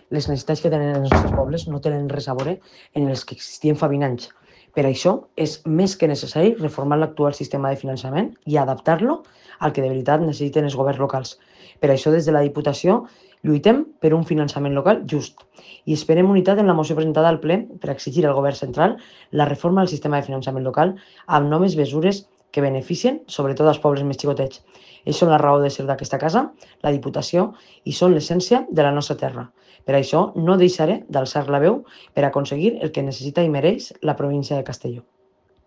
les necessitats que tenen els nostres pobles no tenen res a veure en els que existien fa 20 anys. Per això és més que necessari reformar l'actual sistema de finançament i adaptar-lo al que de veritat necessiten els governs locals. Per això, des de la Diputació, lluitem per un finançament local just i esperem unitat en la moció presentada al ple per exigir al govern central la reforma del sistema de finançament local amb noves mesures que beneficien sobretot els pobles més xicotets. Ells són la raó de ser d'aquesta casa, la Diputació, i són l'essència de la nostra terra. Per això no deixaré d'alçar la veu per aconseguir el que necessita i mereix la província de Castelló.